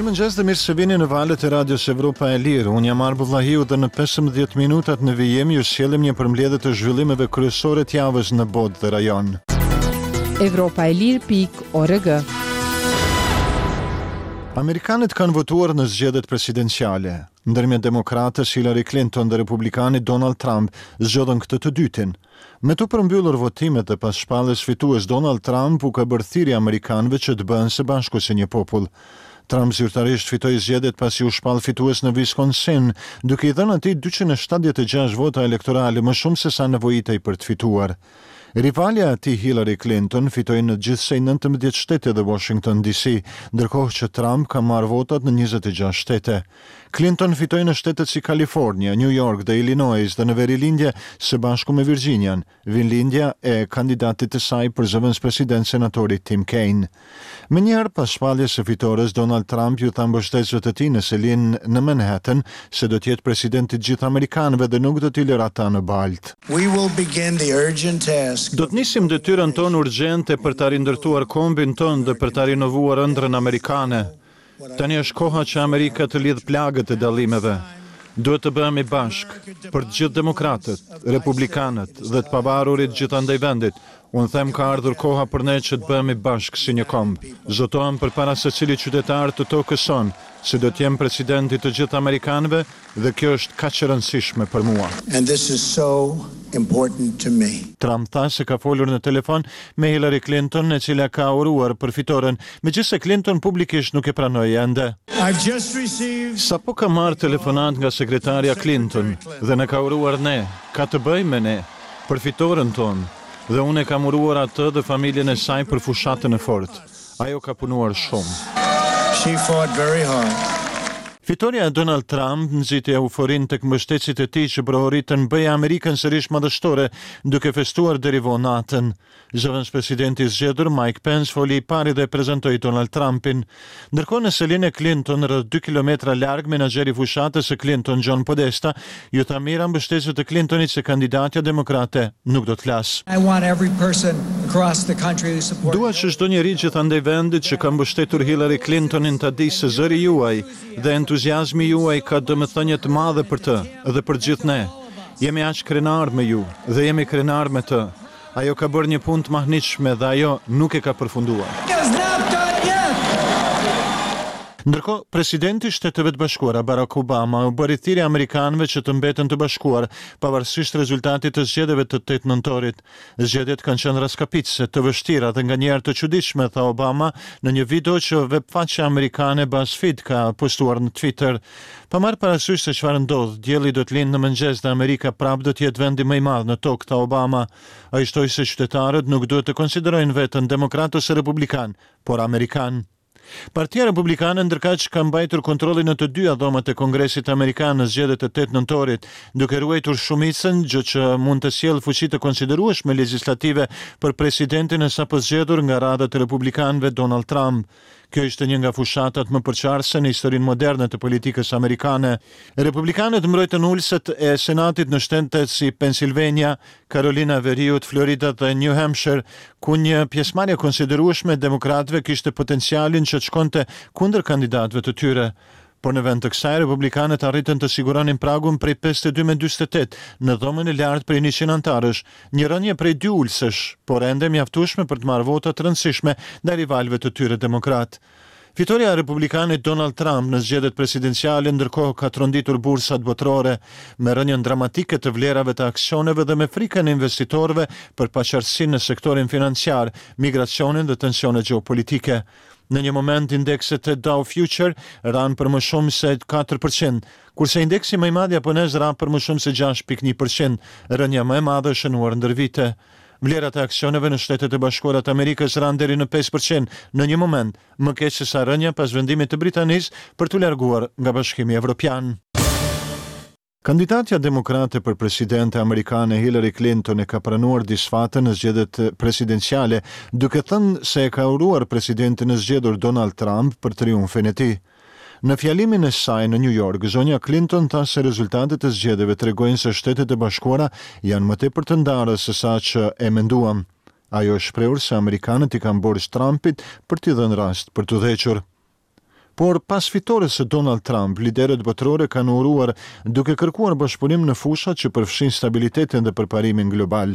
Mirëmëngjes dhe mirë se vini në valët e Radios Evropa e Lirë. Unë jam Arbër Vllahiu dhe në 15 minutat në vijim ju sjellim një përmbledhje të zhvillimeve kryesore të javës në botë dhe rajon. Evropa e Lirë pikë org. Amerikanët kanë votuar në zgjedhjet presidenciale. Ndërmjet demokrates Hillary Clinton dhe republikanit Donald Trump zgjodhën këtë të dytin. Me t'u përmbyllur votimet dhe pas shpalljes fitues Donald Trump u ka bërë thirrje amerikanëve që të bëhen së bashku si një popull. Trump zyrtarisht fitoi zgjedhjet pasi u shpall fitues në Wisconsin, duke i dhënë atij 276 vota elektorale më shumë se sa nevojitej për të fituar. Rivalja e tij Hillary Clinton fitoi në gjithsej 19 shtete dhe Washington DC, ndërkohë që Trump ka marrë votat në 26 shtete. Clinton fitoi në shtetet si Kalifornia, New York dhe Illinois dhe në verilindje së bashku me Virginian, vendlindja e kandidatit të saj për zëvendëspresident senatorit Tim Kaine. Menjëherë pas shpalljes së fitores, Donald Trump iu tha mbështetësve të tij në selinë në Manhattan se do të jetë president i të gjithë amerikanëve dhe nuk do t'i lërë ata në baltë. Do të nisim detyrën tonë urgjente për ta rindërtuar kombin tonë dhe për ta rinovuar ëndrrën amerikane. Tani është koha që Amerika të lidhë plagët e dallimeve. Duhet të bëhemi bashkë, për të gjithë demokratët, republikanët dhe të pavarurit gjithandej vendit. Unë them ka ardhur koha për ne që të bëhemi bashkë si një komb. Zotohem përpara secilit qytetar të tokës sonë se do të jem president i të gjithë amerikanëve Dhe kjo është kaq e rëndësishme për mua. And this is so important to me. Trump tha se ka folur në telefon me Hillary Clinton, e cila ka uruar për fitoren, megjithëse Clinton publikisht nuk e pranoi ende. I've just received. Sapo kam marrë telefonatë nga sekretarja Clinton dhe na ka uruar ne, ka të bëjë me ne, për fitoren tonë, dhe unë e kam uruar atë dhe familjen e saj për fushatën e fortë. Ajo ka punuar shumë. She fought very hard. Fitorja e Donald Trump nxiti euforinë tek mbështetësit e tij që brohoritën Bëje Amerikën sërish madhështore, duke festuar deri vonë natën. Zëvendëspresidenti i zgjedhur Mike Pence foli i pari dhe prezantoi Donald Trumpin. Ndërkohë në selinë e Clinton, rreth 2 kilometra larg, menaxheri i fushatës së Clinton, John Podesta, iu tha mijëra mbështetësve të Clintonit se kandidatja demokrate nuk do të flasë. Dua që çdo njeri gjithandej vendit që ka mbështetur Hillary Clintonin ta dijë se zëri juaj dhe entuziazmi juaj ka domethënie të madhe për të dhe për të gjithë ne. Jemi aq krenarë me ju dhe jemi krenarë me të. Ajo ka bërë një punë të mahnitshme dhe ajo nuk e ka përfunduar. Ndërkohë, presidenti i Shteteve të Bashkuara, Barack Obama, u bëri thirrje amerikanëve që të mbeten të bashkuar, pavarësisht rezultatit të zgjedhjeve të 8 nëntorit. Zgjedhjet kanë qenë rraskapitëse, të vështira dhe nganjëherë të çuditshme, tha Obama në një video që webfaqja amerikane BuzzFeed ka postuar në Twitter. Pa marrë parasysh se çfarë ndodh, dielli do të lindë në mëngjes dhe Amerika prapë do të jetë vendi më i madh në tokë, tha Obama. Ai shtoi se qytetarët nuk duhet të konsiderojnë veten demokratë ose republikanë, por amerikanë. Partia Republikane ndërkaq ka mbajtur kontrollin në të dyja dhomat e Kongresit Amerikan në zgjedhjet e 8 nëntorit, duke ruajtur shumicën, gjë që mund të sjellë fuqi të konsiderueshme legjislative për presidentin e sapozgjedhur nga radhët e republikanëve Donald Trump. Kjo ishte një nga fushatat më përçarëse në historinë moderne të politikës amerikane. Republikanët mbrojtën ulëset e Senatit në shtete si Pennsylvania, Karolina e Veriut, Florida dhe New Hampshire, ku një pjesëmarrje e konsiderueshme e demokratëve kishte potencialin që të shkonte kundër kandidatëve të tyre. Por në vend të kësaj, republikanët arritën të siguronin pragun prej 52 me 48 në dhomën e lartë prej 100 anëtarësh, një rënie prej dy ulësesh, por ende e mjaftueshme për të marrë vota të rëndësishme ndaj rivalëve të tyre demokratë. Fitorja e republikanit Donald Trump në zgjedhjet presidenciale ndërkohë ka tronditur bursat botërore me rënien dramatike të vlerave të aksioneve dhe me frikën e investitorëve për paqartësinë në sektorin financiar, migracionin dhe tensionet gjeopolitike. Në një moment indekset e Dow Future ranë për më shumë se 4%, kurse indeksi më i madh japonez ra për më shumë se 6.1%, rënia më e madhe e shënuar ndër vite. Vlerat e aksioneve në Shtetet e Bashkuara të Amerikës ranë deri në 5% në një moment, më keq se sa rënia pas vendimit të Britanisë për t'u larguar nga Bashkimi Evropian. Kandidatja demokrate për presidente amerikane Hillary Clinton e ka pranuar disfatën në zgjedhjet presidenciale, duke thënë se e ka uruar presidentin e zgjedhur Donald Trump për triumfin e tij. Në fjalimin e saj në New York, zonja Clinton tha se rezultatet e zgjedhjeve tregojnë se Shtetet e Bashkuara janë më tepër të ndara se sa që e menduam. Ajo është shprehur se amerikanët i kanë borxh Trumpit për t'i dhënë rast për të udhëhequr. Por pas fitores së Donald Trump, liderët botërorë kanë uruar duke kërkuar bashkëpunim në fushat që përfshijnë stabilitetin dhe përparimin global.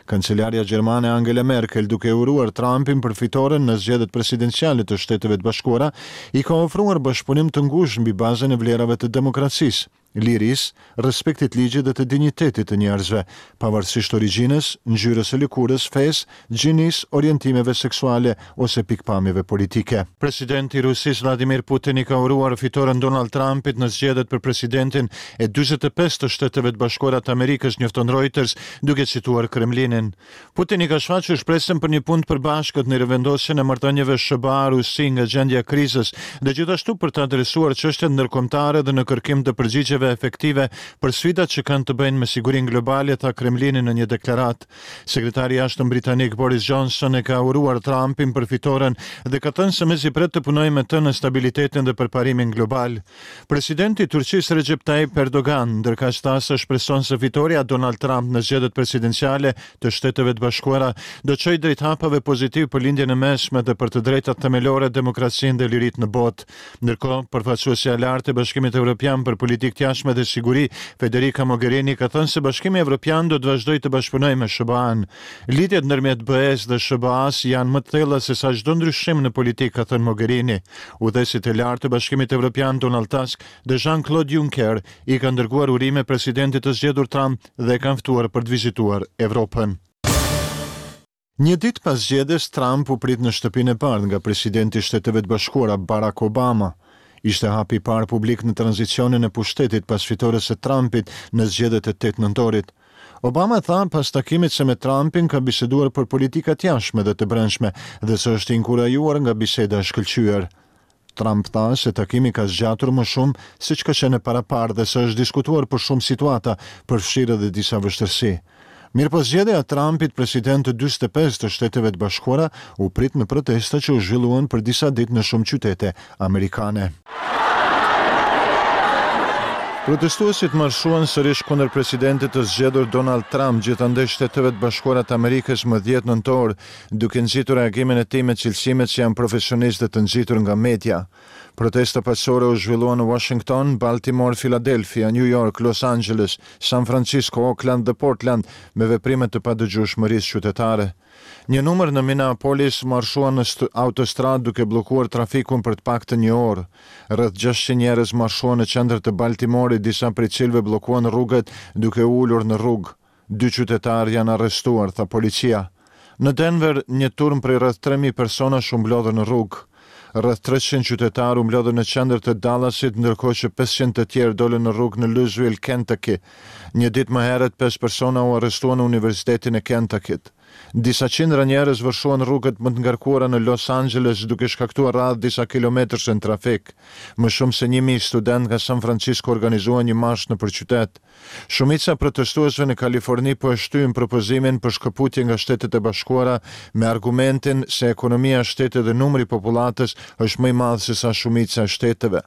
Kancelarja gjermane Angela Merkel, duke uruar Trumpin për fitoren në zgjedhjet presidenciale të Shteteve të Bashkuara, i ka ofruar bashkëpunim të ngushtë mbi bazën e vlerave të demokracisë, lirisë, respektit të ligjit dhe të dinjitetit të njerëzve, pavarësisht origjinës, ngjyrës së lëkurës, fesë, gjinisë, orientimeve seksuale ose pikëpamjeve politike. Presidenti i Rusisë, Vladimir Putin i ka uruar fitoren Donald Trumpit në zgjedhjet për presidentin e 45 të Shteteve të Bashkuara të Amerikës, njofton Reuters, duke cituar Kremlinin. Putini ka shfaqur shpresën për një punë të përbashkët në rivendosjen e marrëdhënieve SHBA-Rusi nga gjendja e krizës dhe gjithashtu për të adresuar çështjet ndërkombëtare dhe në kërkim të përgjigjeve efektive për sfidat që kanë të bëjnë me sigurinë globale, tha Kremlini në një deklaratë. Sekretari i Jashtëm britanik Boris Johnson e ka uruar Trumpin për fitoren dhe ka thënë se mezi pret të punojë me të në stabilitetin dhe përparimin global. Presidenti i Turqisë Recep Tayyip Erdogan, ndërkaq tha se shpreson se fitorja e Donald Trump në zgjedhjet presidenciale të Shteteve të Bashkuara do çojë drejt hapave pozitivë për Lindjen e Mesme dhe për të drejtat themelore, demokracinë dhe liritë në botë. Ndërkohë, përfaqësuesja e lartë e Bashkimit Evropian për Politikë të Jashtme dhe Siguri, Federica Mogherini ka thënë se Bashkimi Evropian do të vazhdojë të bashkëpunojë me SHBA-në. Lidhjet ndërmjet BE-së dhe SHBA-së janë më të thella se sa çdo ndryshim në politikë, ka thënë Mogherini. Udhëheqësit e lartë të Bashkimit Evropian Donald Tusk dhe Jean-Claude Juncker i kanë dërguar urime presidentit të zgjedhur Trump dhe e kanë ftuar për të vizituar Evropën. Një ditë pas zgjedhjes, Trump u prit në Shtëpinë e Bardhë nga presidenti i Shteteve të Bashkuara, Barack Obama. Ishte hapi i parë publik në tranzicionin e pushtetit pas fitores së Trumpit në zgjedhjet e 8 nëntorit. Obama tha pas takimit se me Trumpin ka biseduar për politika të jashtme dhe të brendshme dhe se është inkurajuar nga biseda e shkëlqyer. Trump tha se takimi ka zgjatur më shumë seç ka qenë e paraparë dhe se është diskutuar për shumë situata, përfshirë edhe disa vështirësi. Mirëpo zgjedhja e Trumpit president të 45 të Shteteve të Bashkuara u prit me protesta që u zhvilluan për disa ditë në shumë qytete amerikane. Protestuesit marshuan sërish kundër presidentit të zgjedhur Donald Trump gjithandej Shteteve të Bashkuara të Amerikës më 10 nëntor, duke nxitur reagimin e tij me cilësimet se janë profesionistë dhe të nxitur nga media. Protesta paqësore u zhvilluan në Washington, Baltimore, Philadelphia, New York, Los Angeles, San Francisco, Oakland dhe Portland me veprime të padëgjueshmërisë qytetare. Një numër në Minneapolis marshuan në autostradë duke bllokuar trafikun për të paktën një orë. Rreth 600 njerëz marshuan në qendër të Baltimorit, disa prej cilëve bllokuan rrugët duke u ulur në rrugë. Dy qytetarë janë arrestuar, tha policia. Në Denver, një turmë prej rreth 3000 personash u mblodhën në rrugë. Rreth 300 qytetarë u mblodhën në qendër të Dallasit, ndërkohë që 500 të tjerë dolën në rrugë në Louisville, Kentucky. Një ditë më herët, pesë persona u arrestuan në Universitetin e Kentucky-t. Disa qindra njerëz vërshuan rrugët më të ngarkuara në Los Angeles, duke shkaktuar radhë disa kilometërse në trafik. Më shumë se 1000 studentë nga San Francisco organizuan një marsh nëpër qytet. Shumica e protestuesve në Kaliforni po e shtyjnë propozimin për shkëputje nga Shtetet e Bashkuara me argumentin se ekonomia e shtetit dhe numri i popullatës është më i madh se sa shumica e shteteve.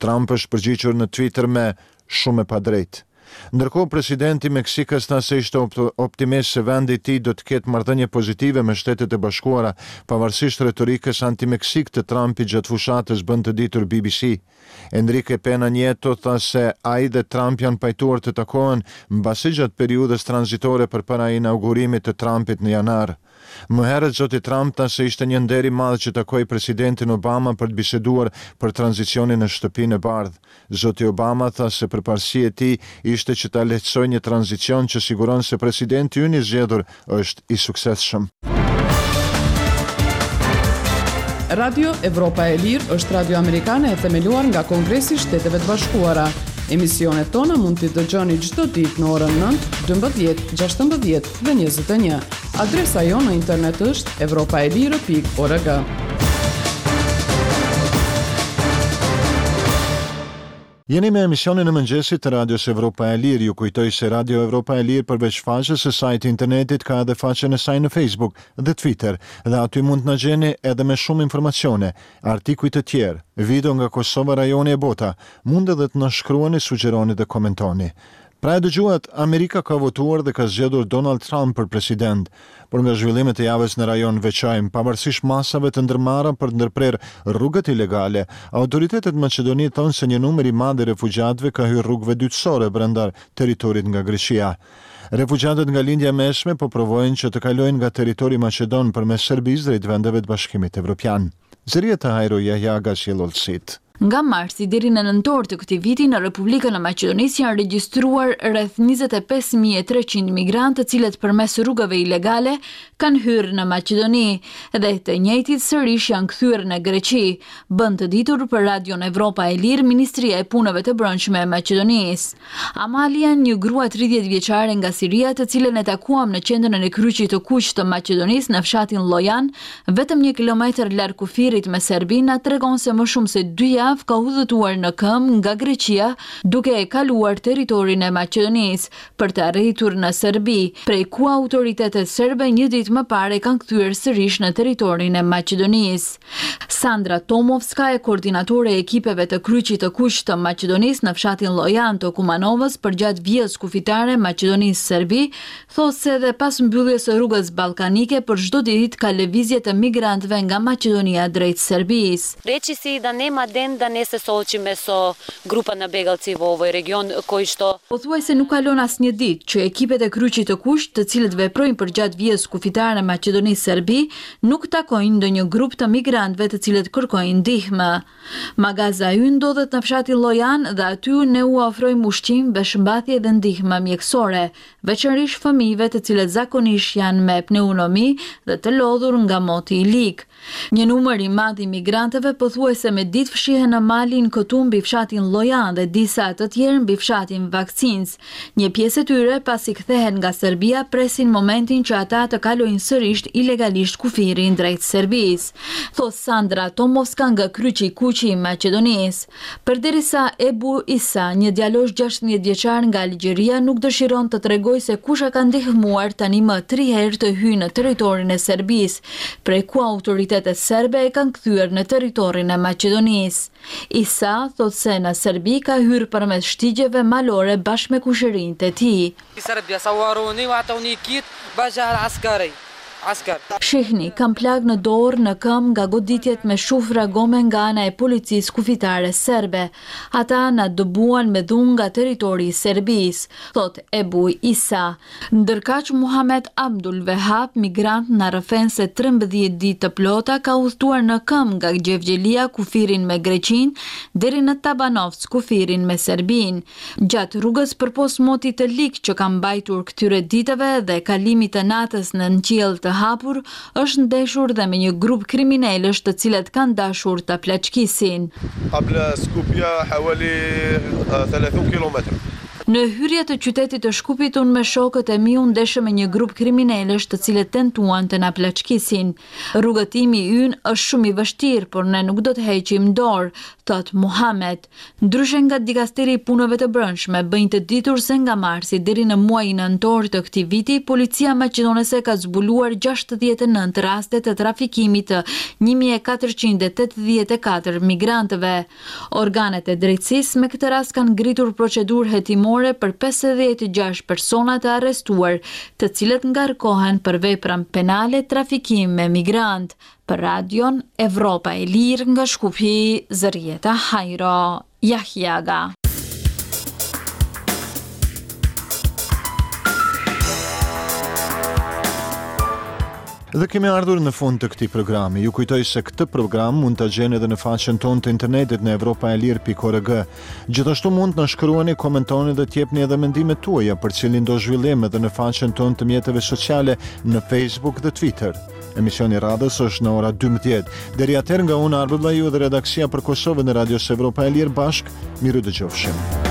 Trump është përgjigjur në Twitter me shumë e padrejtë. Ndërkohë, presidenti i Meksikës tha se ishte optimist se vendi i tij do të ketë marrëdhënie pozitive me Shtetet e Bashkuara, pavarësisht retorikës anti-Meksikë të Trumpit gjatë fushatës, bën të ditur BBC. Enrique Pena Nieto tha se ai dhe Trump janë pajtuar të takohen mbase gjatë periudhës tranzitore përpara inaugurimit të Trumpit në janar. Më herët zoti Trump tha se ishte një nder i madh që takoi presidentin Obama për të biseduar për tranzicionin në Shtëpinë e Bardhë. Zoti Obama tha se përparësi e tij ishte që ta lehtësojë një tranzicion që siguron se presidenti ynë i zgjedhur është i suksesshëm. Radio Evropa e Lirë është radio amerikane e themeluar nga Kongresi i Shteteve të Bashkuara. Emisionet tona mund t'i dëgjoni çdo ditë në orën 9, 12, 16 dhe 21. Adresa jonë në internet është evropaelire.org. Jeni me emisionin e mëngjesit të Radios Evropa e Lirë. Ju kujtoj se Radio Evropa e Lirë përveç faqes së saj të internetit ka edhe faqen e saj në Facebook dhe Twitter dhe aty mund të na gjeni edhe me shumë informacione, artikuj të tjerë, video nga Kosova, rajoni e bota. Mund edhe të na shkruani, sugjeroni dhe komentoni. Pra e dëgjuat, Amerika ka votuar dhe ka zgjedhur Donald Trump për president. Por nga zhvillimet e javës në rajon veçojmë, pavarësisht masave të ndërmarra për të ndërprerë rrugët ilegale, autoritetet në Maqedoni thonë se një numër i madh i refugjatëve ka hyrë rrugëve dytësore brenda territorit nga Greqia. Refugjatët nga Lindja e Mesme po provojnë që të kalojnë nga territori maqedon përmes Serbisë drejt vendeve të Bashkimit Evropian. Zërijeta Hajro Jahjaga sjell hollësitë. Nga marsi deri në nëntor të këtij viti në Republikën e Maqedonisë janë regjistruar rreth 25.300 migrantë të cilët përmes rrugëve ilegale kanë hyrë në Maqedoni dhe të njëjtit sërish janë kthyer në Greqi, bën të ditur për Radion Evropa e Lirë Ministria e Punëve të Brendshme e Maqedonisë. Amalia, një grua 30 vjeçare nga Siria të cilën e takuam në qendrën e Kryqit të Kuq të Maqedonisë në fshatin Llojan, Vetëm një kilometër larg kufirit me Serbinë na tregon se më shumë se dy javë ka udhëtuar në këmbë nga Greqia duke e kaluar territorin e Maqedonisë për të arritur në Serbi, prej ku autoritetet serbe një ditë më parë e kanë kthyer sërish në territorin e Maqedonisë. Sandra Tomovska, koordinatore e ekipeve të Kryqit të Kuq të Maqedonisë në fshatin Llojan të Kumanovës përgjatë vijës kufitare Maqedoni-Serbi, Thotë se edhe pas mbylljes së rrugës ballkanike për çdo ditë ka lëvizje të migrantëve nga Maqedonia drejt Serbisë. Rečisi da nema den da ne se soočime so grupa na begalci vo ovoj region koji što. Pothuajse nuk kalon asnjë ditë që ekipet e Kryqit të Kuq, të cilët veprojnë përgjatë vijës kufitare Maqedoni-Serbi, nuk takojnë ndonjë grup të migrantëve të cilët kërkojnë ndihmë. Magaza ynë ndodhet në fshatin Llojan dhe aty ne ua ofrojmë ushqim, veshmbathje dhe ndihmë mjekësore, veçanërisht fëmijëve të cilët zakonisht janë me pneumomi dhe të lodhur nga moti i lig. Një numër i madh i migrantëve pothuajse me ditë fshihen në malin këtu mbi fshatin Llojan dhe disa të tjerë mbi fshatin Vaksinc. Një pjesë e tyre pasi kthehen nga Serbia presin momentin që ata të kalojnë sërisht ilegalisht kufirin drejt Serbisë, thotë Sandra Tomovska nga Kryqi i Kuq i Maqedonisë. Përderisa Ebu Isa, një djalosh 16 vjeçar nga Algjeria nuk dëshiron të tregojë se kush e ka ndihmuar tani më tri herë të hyjë në territorin e Serbisë, prej ku autoritetet serbe e kanë kthyer në territorin e Maqedonisë. Isa thotë se në Serbi ka hyrë përmes shtigjeve malore bashkë me kushërinjtë e tij. Shihni, kam plagë në dorë, në këmbë nga goditjet me shufra gome nga ana e policisë kufitare serbe. Ata na dëbuan me dhunë nga territori i Serbisë, thotë Ebu Isa. Ndërkaq Muhamet Abdul Vehab, migrant na rrëfen se 13 ditë të plota ka udhëtuar në këmbë nga Gjevgjelia kufirin me Greqinë deri në Tabanovc kufirin me Serbinë. Gjatë rrugës përpos motit të lig që ka mbajtur këtyre ditëve dhe kalimit të natës nën qiell të hapur, është ndeshur dhe me një grup kriminelësh të cilët kanë dashur ta plaçkisin. Në hyrje të qytetit të Shkupit unë me shokët e mi u ndeshëm me një grup kriminelësh të cilët tentuan të na plaçkisin. Rrugëtimi ynë është shumë i vështirë, por ne nuk do të heqim dorë, thotë Muhamet. Ndryshe nga Dikasteri i Punëve të Brendshme bëjnë të ditur se nga marsi deri në muajin nëntor të këtij viti, policia maqedonase ka zbuluar 69 raste të trafikimit të 1484 migrantëve. Organet e drejtësisë me këtë rast kanë ngritur procedurë hetimore për 56 persona të arrestuar, të cilët ngarkohen për veprën penale trafikim me migrantë. Për Radion Evropa e Lirë nga Shkupi, Zërijeta Hajro Jahjaga. Dhe kemi ardhur në fund të këtij programi. Ju kujtoj se këtë program mund ta gjeni edhe në faqen tonë të internetit në evropaelire.org. Gjithashtu mund të na shkruani, komentoni dhe të jepni edhe mendimet tuaja për cilindo zhvillim edhe në faqen tonë të mjeteve sociale në Facebook dhe Twitter. Emisioni i radhës është në ora 12. Deri atëherë nga unë Arbër Vllahiu dhe redaksia për Kosovën e Radios Evropa e Lirë bashkë, mirudëgjofshim.